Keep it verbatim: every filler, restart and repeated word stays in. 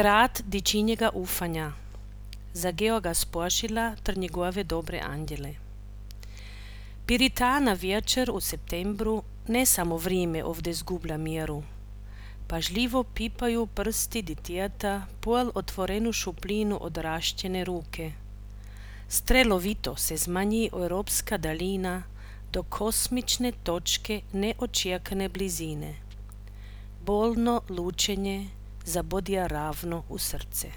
grad dičinjega ufanja, za Georga Spožila ter njegove dobre andjele. Pirita na večer u septembru ne samo vrijeme ovdje zgublja mjeru. Pažljivo pipaju prsti ditjeta pol otvorenu šuplinu odrašćene ruke. Strelovito se zmanji europska dalina do kosmične točke neočekane blizine. Bolno lučenje zabodja ravno u srce.